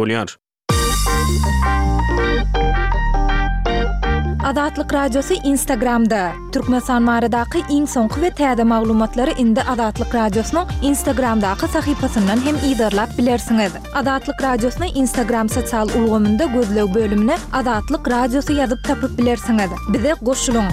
Bolýar. Azatlyk Radiosy Instagramda, Türkmenistan baradaky iň soňky we täze maglumatlary indi Azatlyk Radiosynyň Instagramdaky sahypasyndan hem yzarlap bilersiňiz. Azatlyk Radiosyny Instagram sosial ulgamynda gözleg bölümine Azatlyk Radiosy ýazyp tapyp bilersiňiz. Bize goşulyň!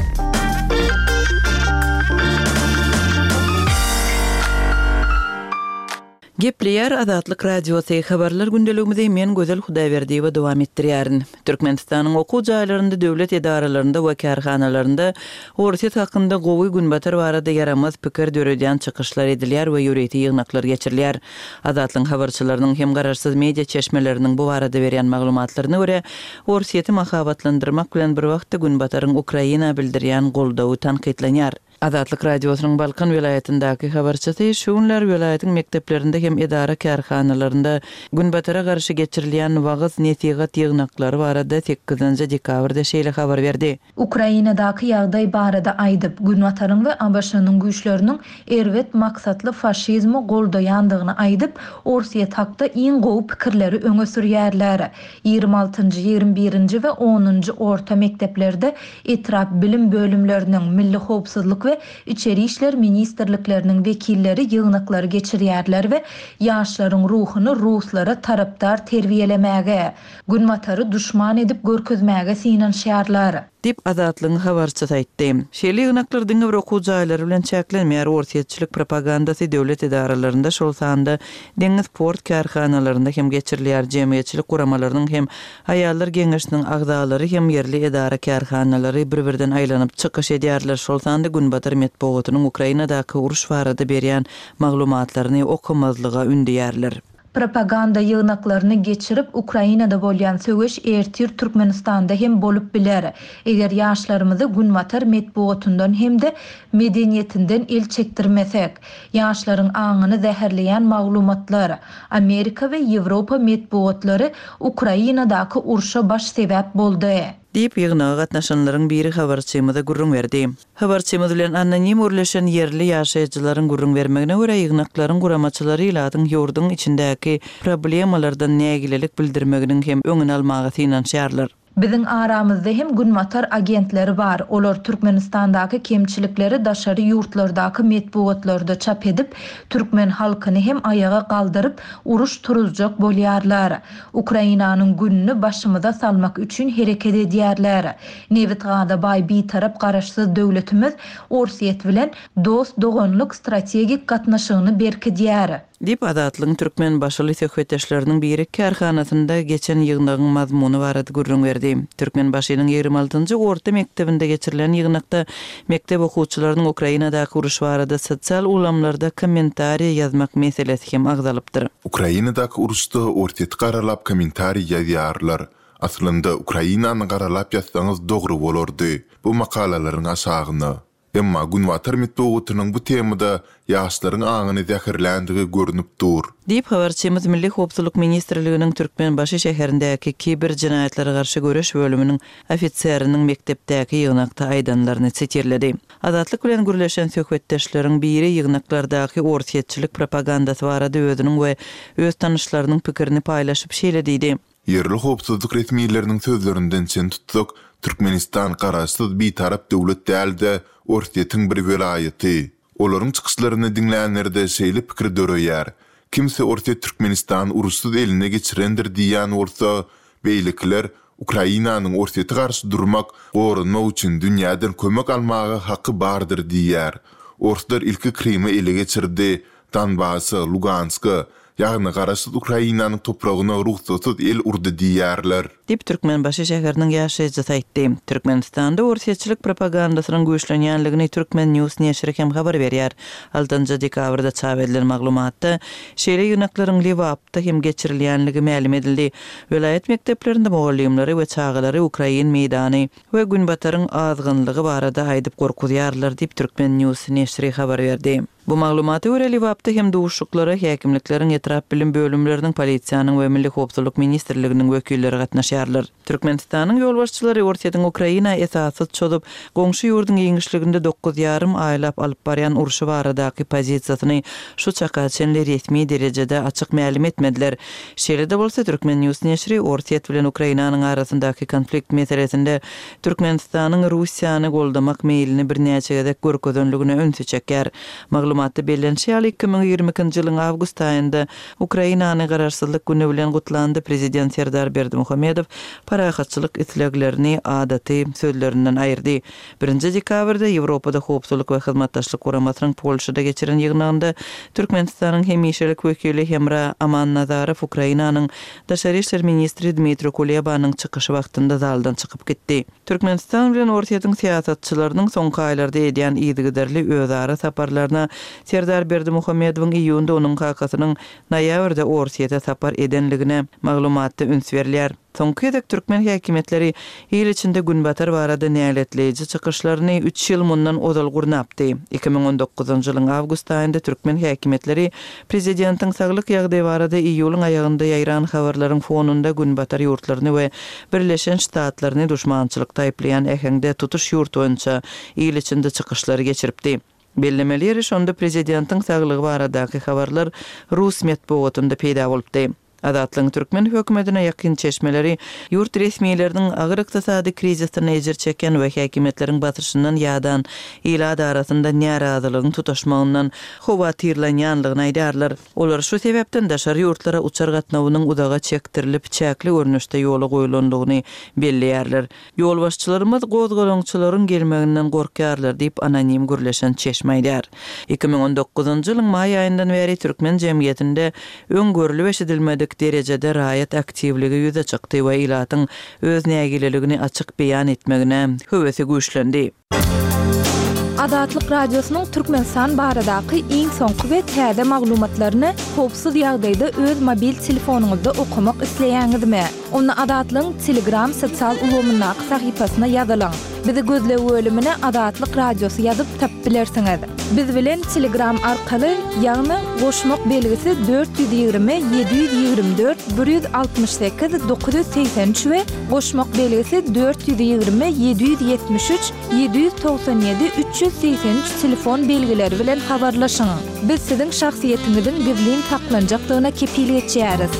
Gepleýär Azatlyk Radiosy, Habarlar gündeligimizi men Gözel Hudaýberdiýewa dowam etdirýärin. Türkmenistanyň okuw jaýlarynda, döwlet edaralarynda we kärhanalarynda Orsýet hakynda gowy, Günbatar barada ýaramaz pikir döredýän çykyşlar edilýär we ýörite ýygnaklar geçirilýär. Azatlygyň habarçylarynyň hem garaşsyz media çeşmeleriniň bu barada berýän maglumatlaryna görä, Orsýeti mahabatlandyrmak bilen bir wagtda Günbataryň Ukraina bildirýän goldawy tankytlanýar. Azatlyk Radiosynyň Balkan welaýatyndaky habarçysy şu günler welaýatyň mekdeplerinde hem edara-kärhanalarynda Günbatara garşy geçirilýän wagyz-nesihat ýygnaklary barada sekizinji dekabrda şeýle habar berdi. Ukrainadaky ýagdaý barada aýdyp, Günbataryň we ABŞ-nyň güýçleriniň erbet maksatly faşizmi goldaýandygyny aýdyp, Orsýet hakda iň gowy pikirleri öňe sürýärler. Ýigrimi altynjy, ýigrimi birinji we onunjy orta mekdeplerde etrap bilim bölümleriniň, Milli howpsuzlyk we Içeri işler ministrlikleriniň wekilleri ýygnaklary geçirýärler we ýaşlaryň ruhuny ruslara tarapdar terbiýelemäge, Günbatary duşman edip görkezmäge synanyşýarlar. Diýip, Azatlygyň habarçysy aýtdy. Şeýle ýygnaklar diňe bir okuw jaýlary bilen çäklenmeýär, orsýetçilik propagandasy döwlet edaralarynda, şol sanda deňiz port kärhanalarynda hem geçirilýär, jemgyýetçilik guramalarynyň hem aýallar geňeşiniň agzalary hem ýerli edara-kärhanalary bir-birden aýlanyp çykyş edýärler, şol sanda günbatar metbugatynyň Ukrainadaky uruş barada berýän maglumatlaryny okamazlyga ündeýärler. Propaganda ýygnaklaryny geçirip, Ukrainada bolýan söweş ertir Türkmenistanda hem bolup biler. Eger ýaşlarymyzy günbatar metbugatyndan hem-de medeniýetinden el çekdirmesek. Ýaşlaryň aňyny zäherleýän maglumatlar, Amerika we Ýewropa metbugatlary Ukrainadaky urşa baş sebäp boldy. Diýip, ýygnaga gatnaşanlaryň biri habarçymyza gürrüň berdi. Habarçymyz bilen anonim gürleşen ýerli ýaşaýjylaryň gürrüň bermegine görä, ýygnaklaryň guramaçylary ilatyň ýurduň içindäki problemalardan nägilelik bildirmeginiň hem öňüni almaga synanyşýarlar. Biziň aramyzda hem günbatar agentleri bar, olar Türkmenistandaky kemçilikleri daşary ýurtlardaky metbugatlarda çap edip, türkmen halkyny hem aýaga galdyryp, uruş turuzjak bolýarlar. Ukrainanyň gününi başymyza salmak üçin hereket edýärler. Nebit-gaza baý Bitarap Garaşsyz döwletimiz Orsýet bilen dost-doganlyk strategik gatnaşygyny berkidýär. Diýip, Azatlygyň türkmenbaşyly söhbetdeşleriniň biri kärhanasynda geçen ýygnagyň mazmuny barada gürrüň berdi. Türkmenbaşynyň ýigrimi altynjy orta mekdebinde geçirilen ýygnakda mekdep okuwçylarynyň Ukrainadaky uruş barada sosial ulgamlarda kommentariýa ýazmak meselesi hem agzalypdyr. Ukrainadaky uruşda Orsýeti garalap kommentariý ýazýarlar. Aslynda Ukrainany garalap ýazsaňyz dogry bolardy bu makalalaryň aşagyna. Emma günbatar metbugatynyň bu temada ýaşlaryň aňyny zäherländigi görnüp dur. Diýip, habarçymyz Milli howpsuzlyk ministrliginiň Türkmenbaşy şäherindäki kiber jenaýatlara garşy göreş bölüminiň ofiseriniň mekdepdäki ýygnakda aýdanlaryny sitirledi. Azatlyk bilen gürleşen söhbetdeşleriň biri ýygnaklardaky orsýetçilik propagandasy barada özüniň we öz tanyşlarynyň pikirini paýlaşyp şeýle diýdi. Ýerli howpsuzlyk resmileriniň sözlerinden çen tutsak, Türkmenistan garaşsyz bitarap döwlet däl-de, Orsýetiň bir welaýaty. Olaryň çykyşlaryny diňlänlerde şeýle pikir döreýär, kimsi Orsýet Türkmenistany uruşsyz eline geçirendir diýýän bolsa, beýlekiler Ukrainanyň Orsýete garşy durmak, goranmak üçin dünýäden kömek almaga haky bardyr diýýär. Orslar ilki Krymy ele geçirdi, Donbasa, Luganska, ýagny garaşsyz Ukrainanyň topragyna rugsatsyz el urdy diýýärler. Diýip, Türkmenbaşy şäheriniň ýaşaýjysy aýtdy. Türkmenistanda orsýetçilik propagandasynyň güýçlenýänligini Turkmen News neşiri hem habar berýär. Altynjy dekabrda çap edilen maglumatda, şeýle ýygnaklaryň Lebapda hem geçirilýänligi mälim edildi. Welaýat mekdeplerinde mugallymlary we çagalary ukrain meýdany we Günbataryň azgynlygy barada aýdyp gorkuzýarlar diýip, Turkmen News neşiri habar berdi. Bu maglumata görä, Lebapda hem duşuşyklara häkimlikleriň, etrap bilim bölümleriniň, polisiýanyň we Milli howpsuzlyk ministrliginiň wekilleri gatnaşýarlar. Türkmenistanyň ýolbaşçylary Orsýetiň Ukraina esassyz çozup, goňşy ýurduň giňişliginde dokuz ýarym aýlap alyp barýan urşy baradaky pozisiýasyny şu çaka çenli resmi derejede açyk mälim etmediler. Şeýle-de bolsa, Turkmen. News neşiri Orsýet bilen Ukrainanyň arasyndaky konflikt meselesinde Türkmenistanyň Russiýany goldamak meýlini birnäçe gezek görkezenligine ünsi çekýär. Maglumatda bellenişi ýaly, 2022-nji ýylyň awgust aýynda Ukrainany Garaşsyzlyk güni bilen gutlanda prezident Serdar Berdimuhamedow parahatçylyk isleglerini adaty sözlerinden aýyrdy. Birinji dekabrda Ýewropada Howpsuzlyk we Hyzmatdaşlyk Guramasynyň Polşada geçiren ýygnagynda Türkmenistanyň hemişelik wekili Hemra Amannazarow Ukrainanyň Daşary işler ministri Dmitri Kulebanyň çykyşy wagtynda zaldan çykyp gitdi. Türkmenistan bilen Orsýetiň syýasatçylarynyň soňky aýlarda edýän yzygiderli özara saparlaryna Serdar Berdimuhamedowyň iýunda onuň kakasynyň noýabrda Orsýete sapar edenligine maglumatda üns berilýär. Soňky gezek türkmen häkimiýetleri il içinde Günbatar barada näletleýji çykyşlaryny üç ýyl mundan ozal gurnapdy. 2019-njy ýylyň awgust aýynda türkmen häkimiýetleri Prezidentiň saglyk ýagdaýy barada iýulyň aýagynda ýaýran habarlaryň fonunda Günbatar ýurtlaryny we Birleşen Ştatlaryny duşmançylykda aýyplaýan äheňde tutuş ýurt boýunça il içinde çykyşlary geçiripdi. Bellemeli ýeri şonda prezidentiň saglygy baradaky habarlar rus metbugatynda peýda bolupdy. Azatlygyň türkmen hökümetine ýakyn çeşmeleri ýurt resmileriniň agyr ykdysady krizisden ejir çekýän we häkimiýetleriň basyşyndan ýadan ilat arasynda närazylygyň tutaşmagyndan howatyrlanýanlygyny aýdýarlar. Olar şu sebäpden daşary ýurtlara uçar gatnawynyň uzaga çekdirilip, çäkli görnüşde ýola goýlandygyny belleýärler. Ýolbaşçylarymyz gozgalaňçylaryň gelmeginden gorkýarlar diýip, anonim gürleşen çeşme aýdýar. 2019-njy ýylyň maý aýyndan bäri türkmen jemgyýetinde öň görlüp-eşidilmedik derejede raýat aktiwligi ýüze çykdy we ilatyň öz nägileligini açyk beýan etmegine höwesi güýçlendi. Azatlyk Radiosynyň Türkmenistan baradaky iň soňky we täze maglumatlaryny howpsuz ýagdaýda öz mobil telefonyňyzda okamak isleýäňizmi? Onda Azatlygyň Telegram sosial ulgamyndaky sahypasyna ýazylyň. Bizi gözleg bölümine Azatlyk Radiosy ýazyp tapyp bilersiňiz. Biz bilen Telegram arkaly, ýagny goşmak belgisi 420 724 168 983 we goşmak belgisi 420 773 797 383 telefon belgileri bilen habarlaşyň. Biz siziň şahsyýetiňiziň gizlin saklanjakdygyna kepil geçýäris.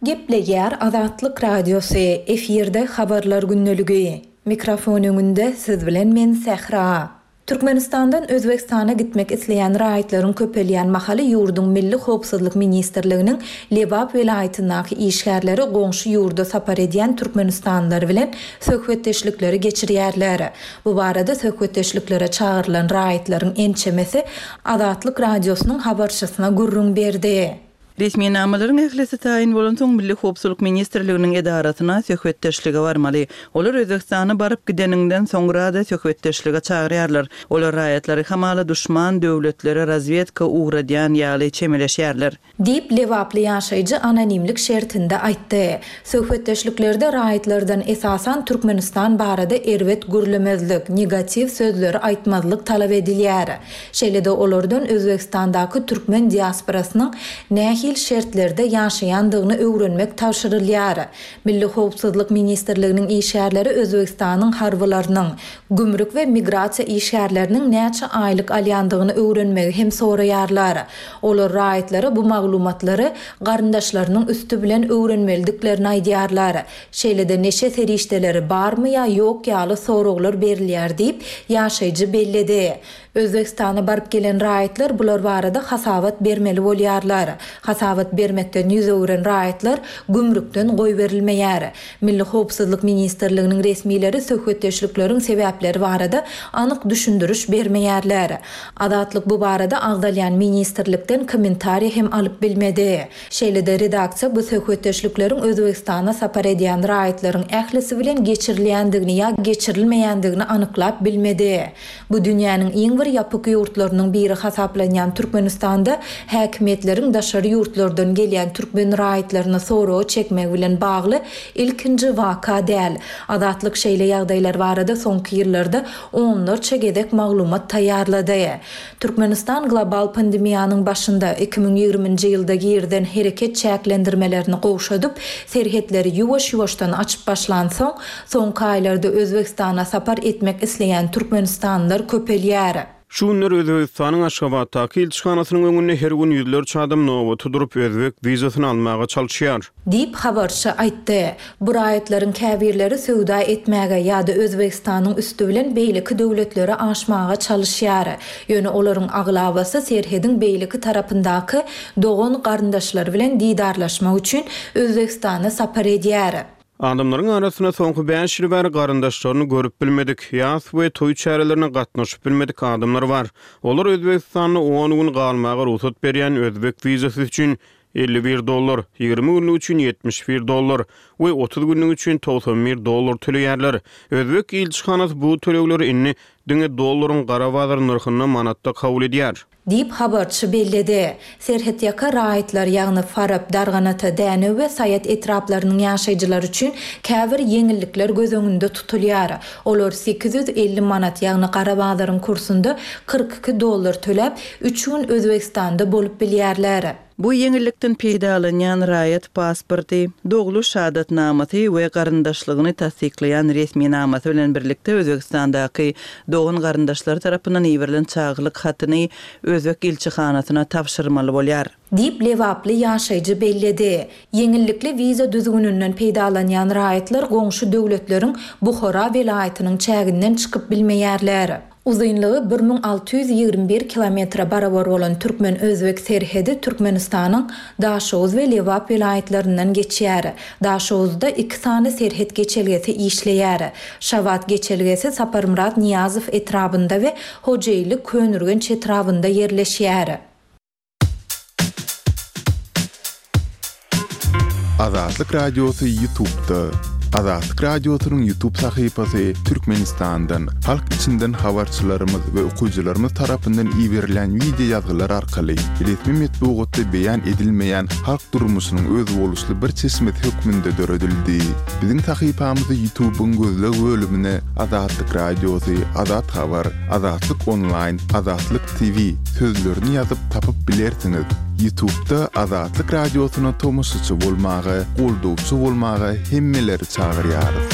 Gepleýär Azatlyk Radiosy, efirde Habarlar gündeligi. Mikrofon öňünde siz bilen men Sähra. Türkmenistandan Özbegistana gitmek isleýän raýatlaryň köpelýän mahaly ýurduň Milli howpsuzlyk ministrliginiň Lebap welaýatyndaky işgärleri goňşy ýurda sapar edýän türkmenistanlylar bilen söhbetdeşlikleri geçirýärler. Bu barada söhbetdeşliklere çagyrylan raýatlaryň ençemesi Azatlyk Radiosynyň habarçysyna gürrüň berdi. Resminamalaryň ählisi taýyn bolansoň, Milli howpsuzlyk ministrliginiň edarasyna söhbetdeşlige barmaly. Olar Özbegistana baryp gideniňden soňra-da söhbetdeşlige çagyrýarlar. Olar raýatlary hamala duşman döwletlere razwedka ugradýan ýaly çemeleşýärler. Diýip, lebaply ýaşaýjy anonimlik şertinde aýtdy. Söhbetdeşliklerde raýatlardan esasan Türkmenistan barada erbet gürlemezlik, negatiw sözleri aýtmazlyk talap edilýär. Şeýle-de olardan Özbegistandaky türkmen diasporasynyň nähili şertlerde ýaşaýandygyny öwrenmek tabşyrylýar. Milli howpsuzlyk ministrliginiň işgärleri Özbegistanyň harbylarynyň, gümrük we migrasiýa işgärleriniň näçe aýlyk alýandygyny öwrenmegi hem soraýarlar. Olar raýatlara bu maglumatlary garyndaşlarynyň üsti bilen öwrenmelidiklerini aýdýarlar. Şeýle-de neşe serişdeleri barmy ýa ýok ýaly soraglar berilýär diýip, ýaşaýjy belledi. Özbegistana baryp gelen raýatlar bular barada hasabat bermeli bolýarlar. Hasabat bermekden ýüz öwüren raýatlar gümrükden goýberilmeýär. Milli howpsuzlyk ministrliginiň resmileri söhbetdeşlikleriň sebäpleri barada anyk düşündiriş bermeýärler. Azatlyk bu barada agzalýan ministrlikden kommentariý hem alyp bilmedi. Şeýle-de redaksiýa bu söhbetdeşlikleriň Özbegistana sapar edýän raýatlaryň ählisi bilen geçirilýändigini ýa geçirilmeýändigini anyklap bilmedi. Bu dünýäniň iň bir. bir ýapyk ýurtlarynyň biri hasaplanýan Türkmenistanda häkimiýetleriň daşary ýurtlardan gelýän türkmen raýatlaryny soraga çekmegi bilen bagly ilkinji waka däl. Azatlyk şeýle ýagdaýlar barada soňky ýyllarda onlarça gezek maglumat taýýarlady. Türkmenistan global pandemiýanyň başynda, 2020-nji ýylda girizen hereket çäklendirmelerini gowşadyp, serhetleri ýuwaş-ýuwaşdan açyp başlansoň, soňky aýlarda Özbegistana sapar etmek isleýän türkmenistanlylar köpelýär. Şu günler Özbegistanyň Aşgabatdaky ilçihanasynyň öňünde her gün ýüzlerçe adam nobata durup, özbek wizasyny almaga çalyşýar. Diýip, habarçy aýtdy. Bu raýatlaryň käbirleri söwda etmäge ýa-da Özbegistanyň üsti bilen beýleki döwletlere aşmaga çalyşýar. Ýöne olaryň aglabasy serhediň beýleki tarapyndaky dogan-garyndaşlary bilen didarlaşmak üçin Özbegistana sapar edýär. Adamlaryň arasynda soňky bäş ýyl bäri garyndaşlaryny görüp bilmedik, ýas we toý çärelerine gatnaşyp bilmedik adamlar bar. Olar Özbegistanda on gün galmaga rugsat berýän özbek wizasy üçin 51 dollar, 20 günlük üçin 71 dollar we 30 günlük üçin 91 dollar töleýärler. Özbek ilçihanasy bu tölegleri indi diňe dollaryň gara bazar nyrhynda manatda kabul edýär. Diýip, habarçy belledi. Serhetýaka raýatlar, ýagny Farap, Darganata, Dänew we Saýat etraplarynyň ýaşaýjylary üçin käbir ýeňillikler göz öňünde tutulýar. Olar 850 manat, ýagny gara bazaryň kursunda 42 dollar töläp, üç gün Özbegistanda bolup bilýärler. Bu ýeňillikden peýdalanýan raýat pasporty, dogluş şahadatnamasy we garyndaşlygyny tassyklaýan resminamasy bilen birlikde Özbegistandaky dogan-garyndaşlary tarapyndan iberilen çagylyk hatyny özbek ilçihanasyna tabşyrmaly bolýar. Diýip, lebaply ýaşaýjy belledi. Ýeňillikli wiza düzgüninden peýdalanýan raýatlar goňşy döwletleriň Buhara welaýatynyň çäginden çykyp bilmeýärler. Uzynlygy 1621 kilometre barabar bolan türkmen-özbek serhedi Türkmenistanyň Daşoguz we Lebap welaýatlaryndan geçýär. Daşoguzda iki sany serhet geçelgesi işleýär. Şabat geçelgesi Saparmyrat Nyýazow etrabynda we Hojeýli Köneürgenç etrabynda ýerleşýär. Azatlyk Radiosy Ýutubda. Azatlyk Radiosynyň Ýutub sahypasy Türkmenistandan, halk içinden habarçylarymyz we okyjylarymyz tarapyndan iberilen wideo ýazgylar arkaly resmi metbugatda beýan edilmeýän halk durmuşynyň özboluşly bir çeşmesi hökmünde döredildi. Biziň sahypamyzy Ýutubyň gözleg bölümine Azatlyk Radiosy, Azat Habar, Azatlyk Onlaýn, Azatlyk TV sözlerini ýazyp tapyp bilersiňiz. Ýutubda Azatlyk Radiosyna tomaşaçy bolmaga, goldawçy bolmaga hemmeleri çagyrýarys.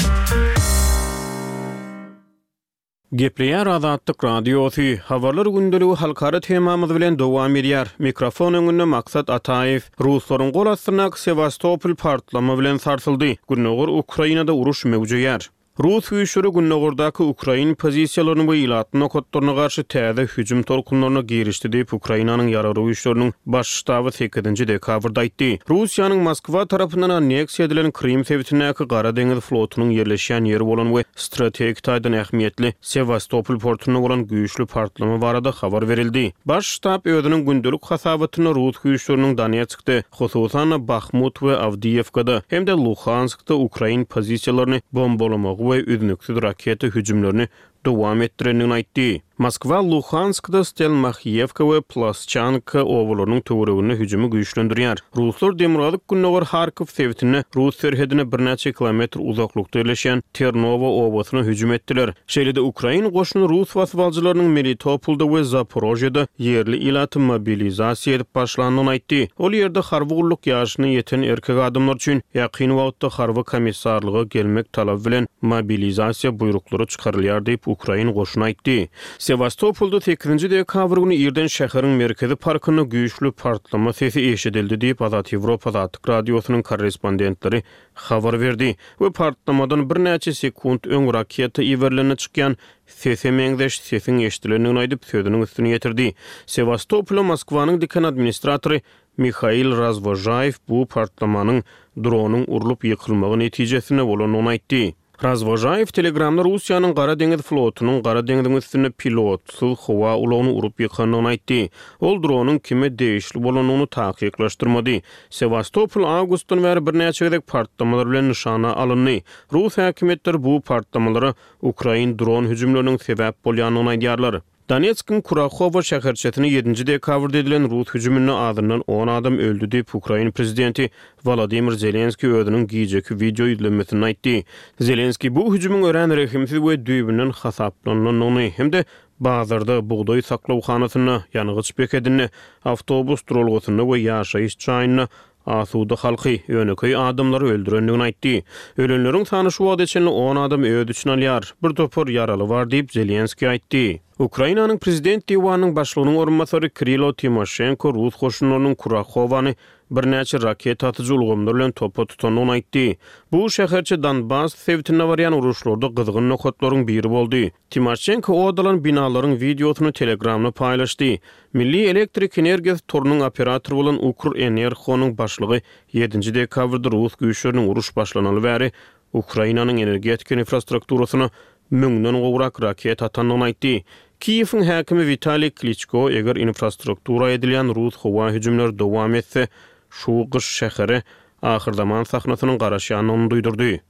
Gepleýär Azatlyk Radiosy, Habarlar gündeligi halkara temamyz bilen dowam edýär. Mikrofon öňünde Maksat Ataýew. Ruslaryň gol astyndaky Sewastopol partlama bilen sarsyldy. Gündogar Ukrainada uruş möwjeýär. Rus güýçleri gündogardaky ukrain pozisiýalaryny we ilatly nokatlaryna garşy täze hüjüm tolkunlaryna girişdi diýip, Ukrainanyň Ýaragly Güýçleriniň Baş ştaby sekizinji dekabrda aýtdy. Russiýanyň Moskwa tarapyndan anneksiýa edilen Krym sebitindäki Gara deňiz flotunyň ýerleşýän ýeri bolan we strategik taýdan ähmiýetli Sewastopol portunda bolan güýçli partlama barada habar berildi. Baş ştab özüniň gündelik hasabatynda rus güýçleriniň Donetskde, hususan-da, Bahmut we Awdiýewkada hem-de Luhanskda ukrain pozisiýalaryny bombalamagy we üznüksiz raketa hüjümlerini dowam etdirendigini aýtdy. Moskwa Luhanskda Stelmahiýewka we Plasçanka obalarynyň töwereginde hüjümi güýçlendirýär. Ruslar demirgazyk-gündogar Harkow sebitinde rus serhedine birnäçe kilometr uzaklykda ýerleşýän Ternowa obasyna hüjüm etdiler. Şeýle-de ukrain goşuny rus basybalyjylarynyň Melitopolda we Zaporožýede ýerli ilaty mobilizasiýa edip başlandygyny aýtdy. Ol ýerde harby gulluk ýaşyna ýeten erkek adamlar üçin ýakyn wagtda harby komissarlyga gelmek talaby bilen mobilizasiýa buýruklary çykarylýar diýip, ukrain goşuny aýtdy. Sewastopolda sekizinji dekabr güni irden şäheriň merkezi parkynda güýçli partlama sesi eşidildi diýip, Azat Ýewropa Azatlyk Radiosynyň korrespondentleri habar berdi we partlamadan birnäçe sekunt öň raketa iberilende çykýan sese meňzeş sesiň eşidilendigini aýdyp, sözüniň üstüni ýetirdi. Sewastopola Moskwanyň diken administratory Mihail Razwožaýew bu partlamanyň dronyň urlup ýykylmagy netijesinde bolandygyny aýtdy. Razwožaýew Telegramda Russiýanyň Gara deňiz flotunyň Gara deňziň üstünde pilotsyz howa ulagyny urup ýykandygyny aýtdy. Ol dronyň kime degişli bolandygyny takyklaşdyrmady. Sewastopol awgustdan bäri birnäçe gezek partlamalar bilen nyşana alyndy. Rus häkimiýetleri bu partlamalara ukrain dron hüjümleriniň sebäp bolýandygyny aýdýarlar. Donetskiň Kurahowo şäherçesine ýedinji dekabrda edilen rus hüjüminde azyndan on adam öldi diýip, ukrain prezidenti Wolodymyr Zelenskiý özüniň gijeki wideo ýüzlenmesinde aýtdy. Zelenskiý bu hüjümiň örän rehimsiz we düýbünden hasaplanylandygyny hem-de bazarda, bugdaý saklawhanasynda, ýangyç bekedinde, awtobus duralgasynda we ýaşaýyş jaýynda asuda halky, ýönekeý adamlary öldürendigini aýtdy. Ölenleriň sany şu wagta çenli on adamy öz içine alýar, bir topar ýaraly bar diýip, Zelenskiý aýtdy. Ukrainanyň Prezident diwanynyň başlygynyň orunbasary Kirilo Timoşenko rus goşunlarynyň Kurahowany birnäçe raketa atyjy ulgamlar bilen topa tutandygyny aýtdy. Bu şäherçe Donbass sebitinde barýan uruşlarda gyzgyn nokatlaryň biri boldy. Timoşenko ot alan binalaryň wideosyny Telegramda paýlaşdy. Milli elektrik energiýasy torunyň operatory bolan Ukrenergonyň başlygy ýedinji dekabrda rus güýçleriniň uruş başlanaly bäri Ukrainanyň energetika infrastrukturasyna müňden gowrak raketa atandygyny aýtdy. Kiýewiň häkimi Witaliý Kliçko eger infrastruktura edilýän rus howa hüjümleri dowam etse, şu gyş şähere ahyrzaman sahnasynyň garaşýandygyny duýdurdy.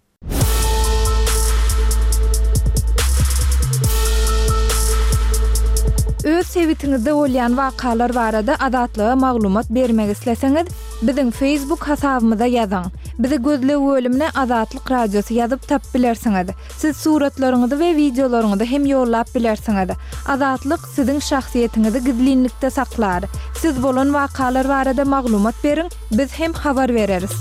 Öz sebitiňizde bolýan wakalar barada Azatlyga maglumat bermek isleseňiz, biziň Facebook hasabymyza ýazyň. Bizi gözleg bölümine Azatlyk Radiosy ýazyp tapyp bilersiňiz. Siz suratlaryňyzy we wideolaryňyzy hem ýollap bilersiňiz. Azatlyk siziň şahsyýetiňizi gizlinlikde saklar. Siz bolan wakalar barada maglumat beriň, biz hem habar bereris.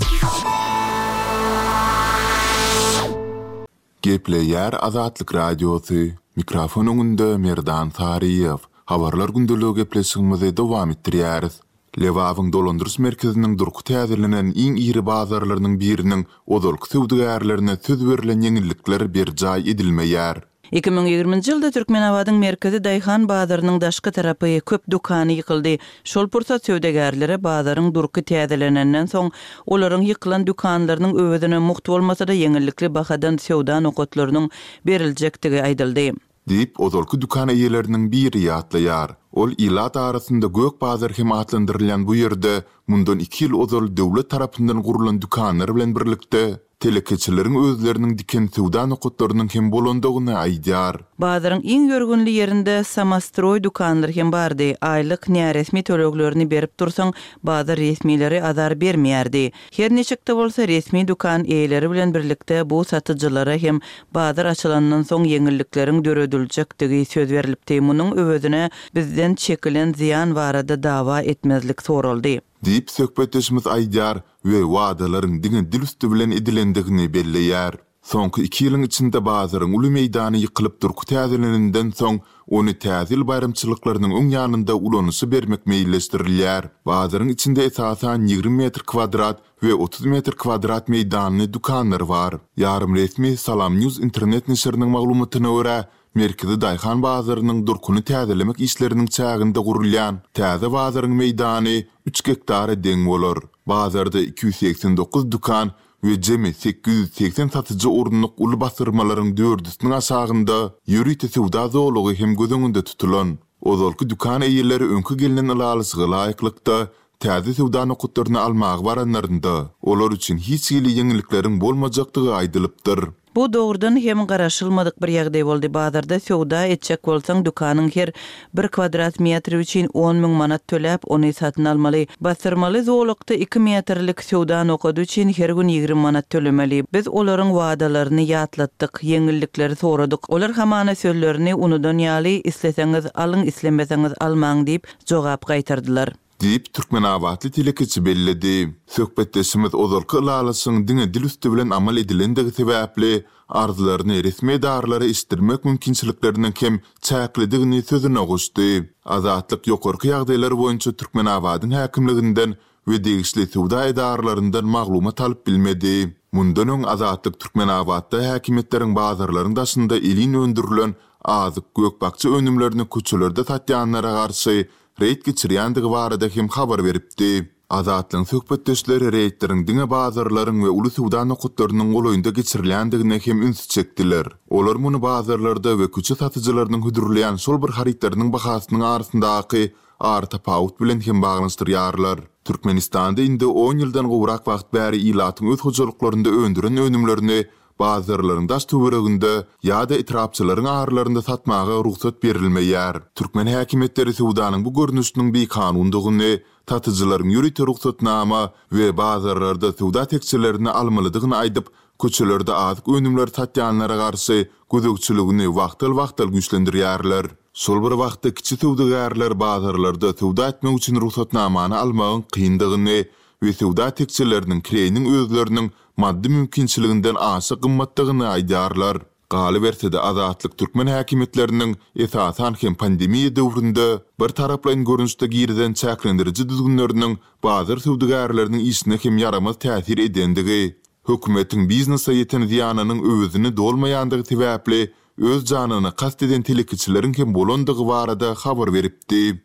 Gepleýär Azatlyk Radiosy, Mikrofon öňünde Merdan Saryýew. Habarlar gündeligi gepleşigimizi dowam etdirýäris. Lebabyň dolandyryş merkeziniň durky täzelenen iň iri bazarlarynyň biriniň ozalky söwdagärlerine söz berlen ýeňillikler berjaý edilmeýär. 2020-nji ýylda Türkmenabadyň merkezi daýhan bazarynyň daşky tarapy, köp dükany ýykyldy. Şol pursat söwdagärlere bazaryň durky täzelenenden soň, olaryň ýykylan dükanlarynyň öwezine mugt bolmasa-da ýeňillikli bahadan söwda nokatlarynyň beriljekdigi aýdyldy. Diýip, ozalky dükan eýeleriniň biri ýatlaýar. Ol ilat arasynda Gök bazar hem atlandyrylýan bu ýerde mundan iki ýyl ozal döwlet tarapyndan gurlan dükanlar bilen birlikde, telekeçileriň özleriniň diken söwda nokatlarynyň hem bolandygyny aýdýar. Bazaryň iň ýörgünli ýerinde samostroý dükanlar hem bardy. Aýlyk näresmi töleglerini berip dursaň, bazar resmileri azar bermeýärdi. Her niçik-de bolsa, resmi dükan eýeleri bilen birlikde bu satyjylara hem bazar açylandan soň ýeňillikleriň dörediljekdigi söz berlipdi. Munuň öwezine bizden çekilen zyýan barada dawa etmezlik soraldy. Diýip, söhbetdeşimiz aýdýar we wadalaryň diňe dil üsti bilen edilendigini belleýär. Soňky iki ýylyň içinde bazaryň uly meýdany ýykylyp durky täzelenenden soň, ony Täze ýyl baýramçylyklarynyň öň ýanynda ulanyşa bermek meýilleşdirilýär. Bazaryň içinde esasan 20 metr kwadrat we 30 metr kwadrat meýdanly dükanlar bar. Ýarym resmi Salam News internet neşiriniň maglumatyna görä, Merkezi daýhan bazarynyň durkuny täzelemek işleriniň çäginde gurulýan täze bazaryň meýdany üç gektara deň bolar. Bazarda 289 dükan we jemi 880 satyjy orunlyk uly basdyrmalaryň dördüsiniň aşagynda ýörite söwda zolagy hem göz öňünde tutulan. Ozalky dükan eýeleri öňki gelnen ylalaşyga laýyklykda, täze söwda nokatlaryny almaga baranlarynda, olar üçin hiç hili ýeňillikleriň bolmajakdygy aýdylypdyr. Bu dogrudan hem garaşylmadyk bir ýagdaý boldy. Bazarda söwda etjek bolsaň, dükanyň her bir kwadrat metri üçin on müň manat töläp, ony satyn almaly. Basdyrmaly zolakda iki metrlik söwda nokady üçin her gün 20 manat tölemeli. Biz olaryň wadalaryny ýatlatdyk, ýeňillikleri soradyk. Olar hamana sözlerini unudan ýaly, isleseňiz alyň, islemeseňiz almaň diýip, jogap gaýtardylar. Diýip, türkmenabatly telekeçi belledi. Söhbetdeşimiz ozalky ylalaşygyň diňe dil üsti bilen amal edilendigi sebäpli, arzlaryny resmi edaralara eşitdirmek mümkinçilikleriniň hem çäklidigini sözüne goşdy. Azatlyk ýokarky ýagdaýlar boýunça Türkmenabadyň häkimliginden we degişli söwda edaralaryndan maglumat alyp bilmedi. Mundan öň Azatlyk Türkmenabatda häkimiýetleriň bazarlaryň daşynda elin öndürilen azyk, gök-bakja önümlerini köçelerde satýanlara garşy reýd geçirýändigi barada hem habar beripdi. Azatlygyň söhbetdeşleri reýdleriň diňe bazarlaryň we uly söwda nokatlarynyň golaýynda geçirilýändigine hem ünsi çekdiler. Olar muny bazarlarda we köçe satyjylarynyň hödürleýän şol bir harytlarynyň bahasynyň arasyndaky aratapawut bilen hem baglanyşdyrýarlar. Türkmenistanda indi on ýyldan gowrak wagt bäri ilatyň öz hojalyklarynda öndüren önümlerini. bazarlaryň daş-töwereginde ýa-da etrapçalaryň aralarynda satmaga rugsat berilmeýär. Türkmen häkimiýetleri söwdanyň bu görnüşiniň bikanundygyny, satyjylaryň ýörite rugsatnama we bazarlarda söwda tekjelerini almalydygyny aýdyp, köçelerde azyk önümleri satýanlara garşy gözegçiligini wagtal-wagtal güýçlendirýärler. Şol bir wagtda kiçi söwdagärler bazarlarda söwda etmek üçin rugsatnamany almagyň kyndygyny we söwda tekjeleriniň kireýiniň özleriniň maddy mümkinçiliginden aşa gymmatdygyny aýdýarlar. Galyberse-de, Azatlyk türkmen häkimiýetleriniň, esasan hem pandemiýa döwründe, birtaraplaýyn görnüşde girizen çäklendiriji düzgünleriniň bazar söwdagärleriniň işine hem ýaramaz täsir edendigi, hökümetiň biznese ýeten zyýanynyň öwezini dolmaýandygy sebäpli öz janyna kast eden telekeçileriň hem bolandygy barada habar beripdi.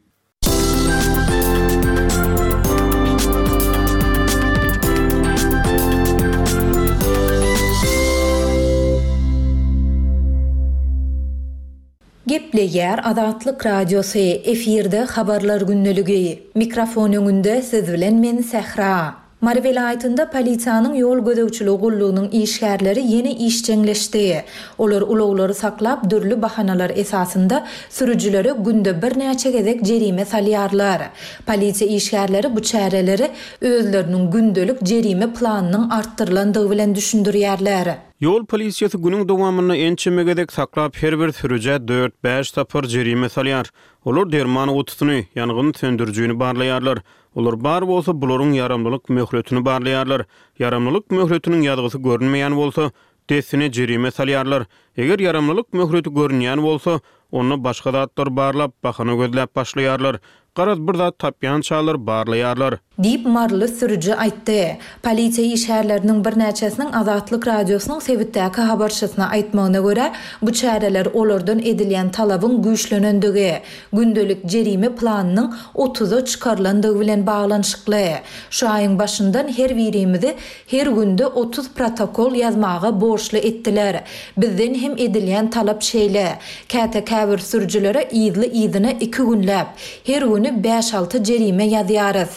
Gepleýär Azatlyk Radiosy, efirde Habarlar gündeligi. Mikrofon öňünde siz bilen men Sähra. Mary welaýatynda polisiýanyň ýol gözegçiligi gullugynyň işgärleri ýene işjeňleşdi. Olar ulaglary saklap, dürli bahanalar esasynda sürüjilere günde birnäçe gezek jerime salýarlar. Polisiýa işgärleri bu çäreleri özleriniň gündelik jerime planynyň artdyrylandygy bilen düşündirýärler. Ýol polisiýasy günüň dowamynda ençeme gezek saklap, her bir sürüjä dört-bäş sapar jerime salýar. Olar derman gutusyny, ýangyn söndürijini barlaýarlar. Olar bar bolsa, bularyň ýaramlylyk möhletini barlaýarlar. Ýaramlylyk möhletiniň ýazgysy görünmeýän bolsa, dessine jerime salýarlar. Eger ýaramlylyk möhleti görünýän bolsa, onda başga zatlary barlap, bahana gözläp başlaýarlar. Garaz, bir zat tapýançalar barlaýarlar. Diýip, maryly sürüji aýtdy. Polisiýa işgärleriniň birnäçesiniň Azatlyk Radiosynyň sebitdäki habarçysyna aýtmagyna görä, bu çäreler olardan edilýän talabyň güýçlenendigi, gündelik jerime planynyň otuza çykarylandygy bilen baglanyşykly. Şu aýyň başyndan her birimizi her günde 30 protokol ýazmaga borçly etdiler. Bizden hem edilýän talap şeýle. Käte käbir sürüjilere yzly-yzyna iki günläp, her güni bäş-alty jerime ýazýarys.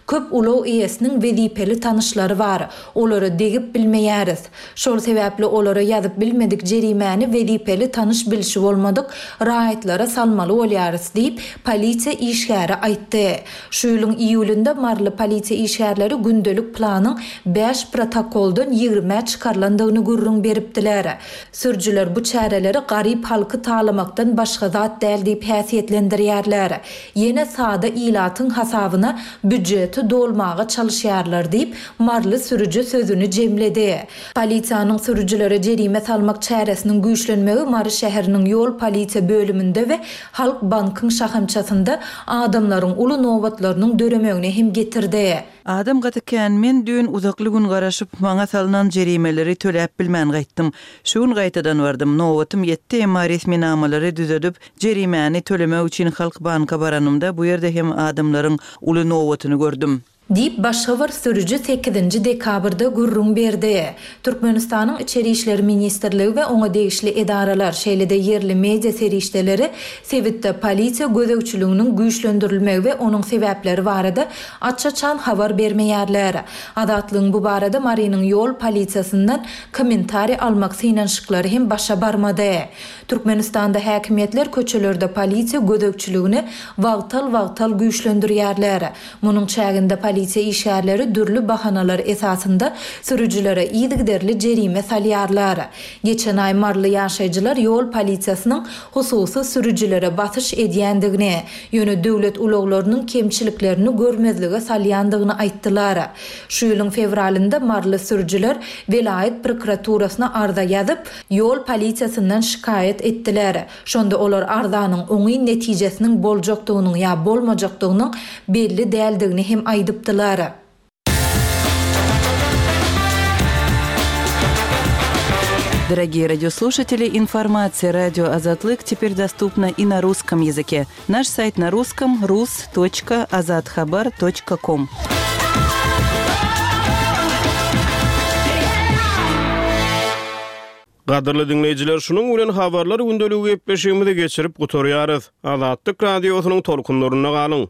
Köp ulag eýesiniň wezipeli tanyşlary bar, olara degip bilmeýäris. Şol sebäpli olara ýazyp bilmedik jerimäni wezipeli tanyş-bilşi bolmadyk raýatlara salmaly bolýarys diýip, polisiýa işgäri aýtdy. Şu ýylyň iýulynda maryly polisiýa işgärleri gündelik planyň bäş protokoldan ýigrimä çykarylandygyny gürrüň beripdiler. Sürüjiler bu çäreleri garyp halky talamakdan başga zat däl diýip häsiýetlendirýärler. Ýene sada ilatyň hasabyna býujeti dolmaga çalyşýarlar diýip, maryly sürüji sözüni jemledi. Polisiýanyň sürüjilere jerime salmak çäresiniň güýçlenmegi Mary şäheriniň ýol polisiýa bölüminde we Halk bankyň şahamçasynda adamlaryň uly nobatlarynyň döremegine hem getirdi. Adam gaty kän, men düýn uzakly gün garaşyp, maňa salnan jerimeleri töläp bilmän gaýtdym. Şu gün gaýtadan bardym, nobatym ýetdi, emma resminamalary düzedip, jerimäni tölemek üçin Halk banka baranymda bu ýerde hem adamlaryň uly nobatyny gördüm. Diýip, başga bir sürüji sekizinji dekabrda gürrüň berdi. Türkmenistanyň Içeri işler ministrligi we oňa degişli edaralar, şeýle-de ýerli media serişdeleri sebitde polisiýa gözegçiliginiň güýçlendirilmegi we onuň sebäpleri barada aç-açan habar bermeýärler. Azatlygyň bu barada Marynyň ýol polisiýasyndan kommentariý almak synanyşyklary hem başa barmady. Türkmenistanda häkimiýetler köçelerde polisiýa gözegçiligini wagtal-wagtal güýçlendirýärler. Munuň çäginde polisiýa işgärleri dürli bahanalar esasynda sürüjilere yzygiderli jerime salýarlar. Geçen aý maryly ýaşaýjylar ýol polisiýasynyň hususy sürüjilere basyş edýändigini, ýöne döwlet ulaglarynyň kemçiliklerini görmezlige salýandygyny aýtdylar. Şu ýylyň fewralynda maryly sürüjiler welaýat prokuraturasyna arza ýazyp, ýol polisiýasyndan şikaýat etdiler. Şonda olar arzanyň oňyn netijesiniň boljakdygynyň ýa bolmajakdygynyň belli däldigini hem aýdypdylar. Дорогие радиослушатели, информация радио Азатлык теперь доступна и на русском языке. Наш сайт на русском rus.azathabar.com. Gadyrly diňleýjiler, şunuň bilen Habarlar gündeligi gepleşigimizi geçirip gutarýarys. Azatlyk Radiosynyň tolkunlarynda galyň!